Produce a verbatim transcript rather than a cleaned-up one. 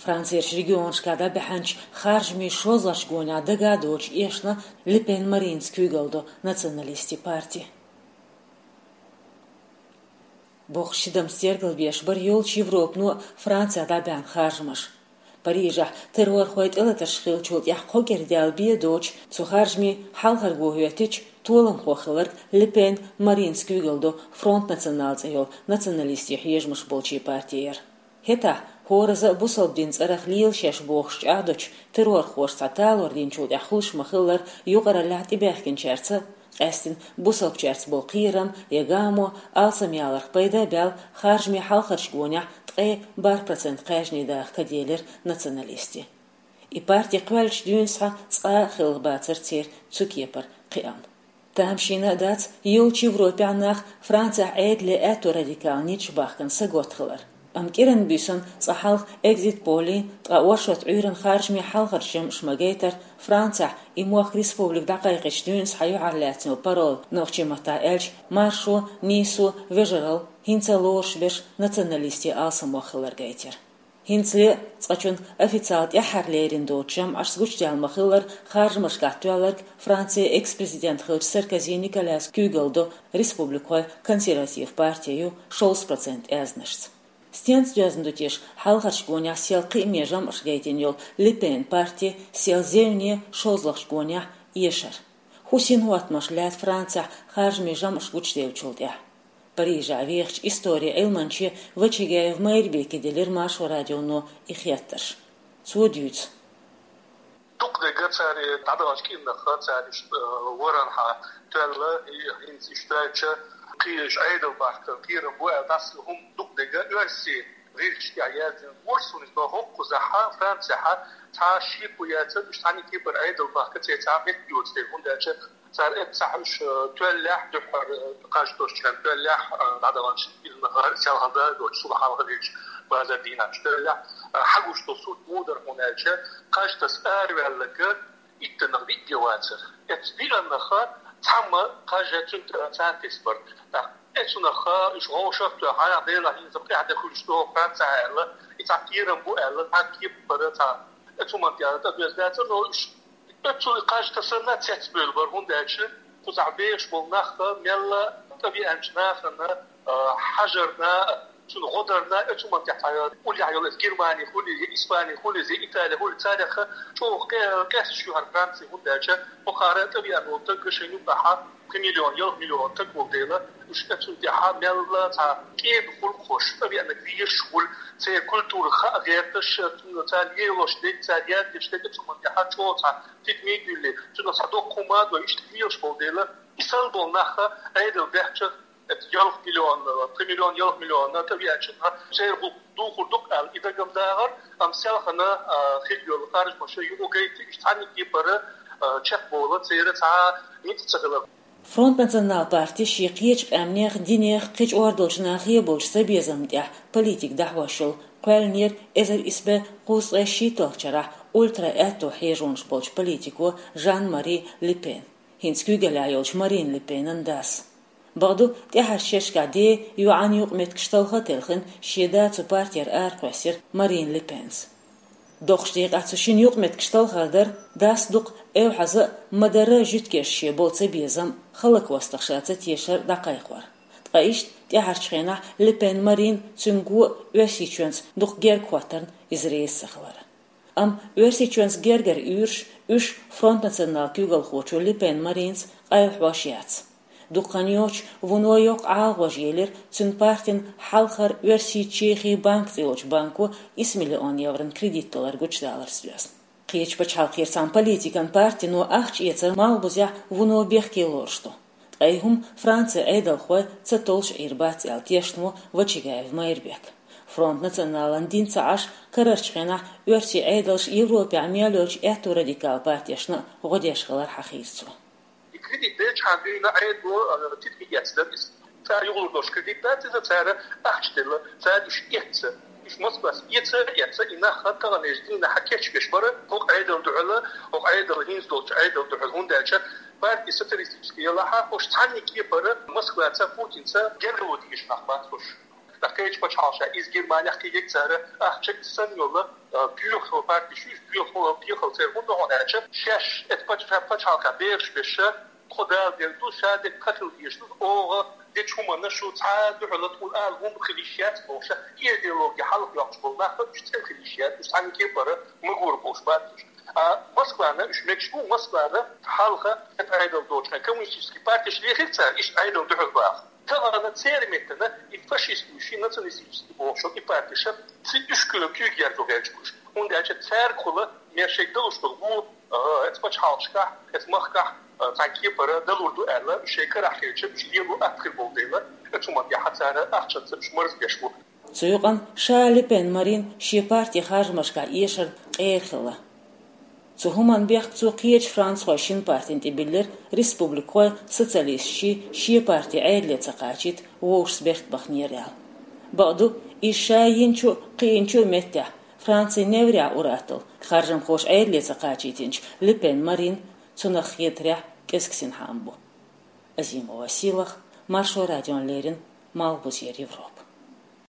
Францерчу регионашкахь дӀабаьхьначу харжамийн шозлагӀчу гонехь дагадоцуш эшна Ле Пен Маринца куьйгалла долу националистийн парти. Боккха шидам стергалбеш бара йолчу Европано Францехь дӀабаьхьна харжамаш. Парижехь террорхойн тӀелатарш хиллачул тӀаьхьа кхо кӀира даьлла бен доцуш, цу харжамийн хьалхара го хӀоьттича, толамхо хилларг Ле Пен Маринца куьйгалла долу Фронт Национал цӀе йолу националистийн хьежамаш болчийн парти яра. ХӀетахь хӀоразза а бусалба дин цӀарах лела шаьш бохуш чӀагӀдечу террорхоша цхьа талор динчул тӀаьхьа хуьлуш ма-хиллара, юкъараллехь тӀебаьхкинчаьрца, къаьстина бусалбачаьрца болу кхерам я гамо алсамъяларх пайда а баьлла, харжамийн хьалхарчу гонехь ткъе бархӀ процент кхаьжнийн даха каделира националистийн. И парти кхоьллинчу дуьйна схьа цкъа а хилла бацара церан цу кепара кхиам. Тамашийна а дац йолчу Европехь нах Францехь Ӏедале аьтто радикал ниташ бахкана саготта хилар. Амма кӀиран буьйсанна цкъа хьалха экзит-поллий, ткъа оршот Ӏуьйранна харжамийн хьалхарчу жамӀаш ма-гайтара, Францехь и мохк республика дӀакхайкхинчу дуьйна схьа юьхьарлаьцна йолу пароль, нохчийн маттахь аьлча, маршо, нисо, вежаралла, хӀинца а лоруш берш националистийн алсамох хилар гайтира. ХӀинцале а цкъачунна официалан тӀаьххьарлерина доцучу жамӀашца гучудаьлла ма-хиллара, харжамашкахь тоьлларг Францин экс-президент хиллачу Саркози Николяс куьйгалла до республикхойн консерватив парти ю шовзткъа процент аьзнашца. Стенца доьзна ду теша хьалхарчу гонехь сел кхиаме жамӀаш гайтина йолу Ле Пен парти сел зевне шозлагӀчу гонехь эшар? ХӀун синхӀоттамаш лаьтта Францехь харжамийн жамӀаш гучудевллачул тӀаьхьа? Парижехь вехачу историн Ӏилманче Вачагаев Майрбеке делира Маршо радионо и хеттарш. Цо дуьйцу. Дукха дерг цара дӀадаханчу кӀирнах цара иштта, э, варан хьан тоьлла, и хӀинца иштта аьлча, кхечу Ӏедал бахка кхерам бу аьлла, дӀаса хӀума дукха дерг оьрсийн гӀирсашкахь яздина, оьрсийн иза хӀокхузахь, Францехь, цхьа шеко яцара, уьш цхьаьна кепара Ӏедал бахка церан цхьа метта йоцу дела, хӀунда аьлча цара эццахь уьш, э, тоьллехь, дуьххьара, э, кхаж тосучу хенахь тоьллехь, э, дӀадаханчу кӀирнах селхана да а доцуш, субхьалха дечу базар дийнахь уьш тоьллехь, э, хьагуш долу сурт муха дара хьуна аьлча, кхаж таса араваьлларг иттаннах виъ а вацара. Эцу виъаннах цхьамма кхаж цуьнан царна тесна бара. ТӀаккха эцунах уьш вовшах а тоьхна, хьан Делахь хӀинца тӀаьхьа де хуьлуш ду Францехь аьлла, и цхьа кхерам бу аьлла, цхьа кепара цхьа эцу хӀуманна тӀе тӀедоьзна дацара, но уьш эцу кхаж тасанна цецбевлла бара, хӀунда аьлча кхузахь бехаш болу нах мелла тӀевеанчу нахана, а, хьажарна, цуьнан гӀо дарна, эцу хӀуманна тӀехь цхьа уллехь йолу иза Германи хуьлий, я Испани хуьлий, я Итали хуьлий, царех чӀогӀа къе-, къесташ ю хӀара Франци, хӀунда аьлча кхара тӀевеана волу стаг шайна юкъахь пхи миллион, ялх миллион стаг волу дела, уьш эцунна тӀехь мелла цхьа кӀеда гӀуллакхаш, тӀевеанарг везаш хуьлу, церан культура хаа гӀерташ, цунна цара лелош дерг, цара яздеш дерг, эцу хӀуманна тӀехь чӀогӀа цхьа тидаме а дуьллий, цунах цхьа доккха хӀума а дой, иштта лелаш болу дела, и санна болу нах Ӏедал баьхча, эцу ялх миллион, пхи миллион, ялх миллион тӀевеанчунна церан гӀуллакх духур ду-кх аьлла, и дага-м дагӀара, амма селхана, а, хилла йолу харжамаш юкъа гайта, уьш цхьаьна кепара, а, чекхбовла церан цхьа ницкъ ца хилар. Фронт Национал парти шен кхечу къаьмнех, динех, кхечу ор долчу нахе болчу цабезамна тӀехь политика дӀахьош йолу кхоьллинера эзар исс бӀе кхузткъе шийтталгӀачу шарахь ультра-аьтто хьежонаш болчу политико Жан-Мари Ле Пен, хӀинца куьйгаллехь йолчу Марин Ле Пенан дас. Бакъду, тӀаьхьарчу шерашкахь ден йоӀан юкъаметтигаш талха а телхина, шен да цу партера аракхоьссира Марин Ле Пенс. Доккхачу декъехь цу шина юкъаметтигаш талхар дара, дас дукха эвхьаза а, ма-дарра а жуьгташца шен болу цабезам, хӀаллаквастах ша ца тешар дӀакхайкхор. Ткъа иштта тӀаьхьарчу хенахь Ле Пен Марин, цуьнан го а Оьрсийчоьнца дукха герга хӀоттарна иза реза ца хилар. Амма Оьрсийчоьнца гергара уьйраш, уьш Фронт Национал куьйгалхочо Ле Пен Маринца къайлахьош яц. Дукха хан йоццуш вуно йоккха ӀалагӀожа елира цуьнан партин хьалхара Оьрсийчоьнан Чехин банк цӀе йолчу банко исс миллион еврон кредит далар гучудаларца доьзна. Кхечу пачхьалкхера цхьана политикан партино ахча эцар малхбузехь вуно бехке лоруш ду. Ткъа и хӀума Францин Ӏедалхой ца толлуш Ӏийр бац аьлла тешна ву Вачагаев Майрбек. Фронт Националан дин ца Ӏаш, карарчу хенахь оьрсийн Ӏедалш Европехь мел йолчу аьтто радикал партешна а гӀо деш хилар хьахийра цо. И кредит делчхьана дуьйна Ӏедало, а, тидаме эцна дара иза. Цара юхалур долуш кредит дац иза, цара ахча делла, цара уьш эцна. Уьш Москвас эца, эца, и нах таханлерчу дийнахь кечбеш бара, хӀокху Ӏедал дуьхьал, хӀокху Ӏедал хӀинца долчу Ӏедал дуьхьал, хӀунда аьлча парти социалистический елахь, уьш цхьаьна кепара Москваца, Путинца гергарло дезаш нах бац уьш. Кхеча пачхьалкхашка, из Германехь кхийгиг цара, ахча санна йолу, а, боьха партеш ю, боьха, боьхалла церан хӀунда хьуна аьлча, шаьш эцу пачхьалкхе бехаш беш, тхо Дала дер ду, ша дерг кхин хила дезаш ду, оха дечу хӀуманна шу цхьа а дуьхьал тхуна ала хӀума хила йиш яц бохуш, и идеологи хьалха йоккхуш болу нах уьш цӀена хила йиш яц, уьш цхьана кепара ма гура бохуш бац уьш. А Москвана уьш мегаш бу, Москвана хьалха, Ӏедал доцучу хенахь коммунистический партеш лехира цара, иштта Ӏедал дуьхьал баха. Тахана церан меттана и фашистский, ши националистический бохуш и партеша, ци уьш куьйга куьйга яьржо гӀерташ бу уьш. ХӀунда аьлча цаьргахула мел шайга далуш долу гӀо, а, эцу пачхьалкхашкахь, эцу махкахь, а, цхьана кепара далур ду аьлла, уьш шайн карахь хилча, уьш лело атта хир болу дела, эцу хӀуманна тӀехь цара ахчанца уьш марзбеш бу. Цу юкъана ша Ле Пен Марин шен партин харжамашкахь эшарна къера хилла. Цу хӀуманна бехк цо кхечу францхойн шина партина тӀе биллира, республикхой социалисташший шен парти Ӏедале ца кхачийта вовшашца берт баханера аьлла. Бакъду, иза ша йинчу а, кхиъначу а меттехь, Францин неврехь ур-атталла, харжамхоша Ӏедале ца кхачийтинчу Ле Пен Марин цунах хетарехь кӀезиг синхаам бу. Азимова Силах, Маршо радиона леррина, Малхбузера Европа.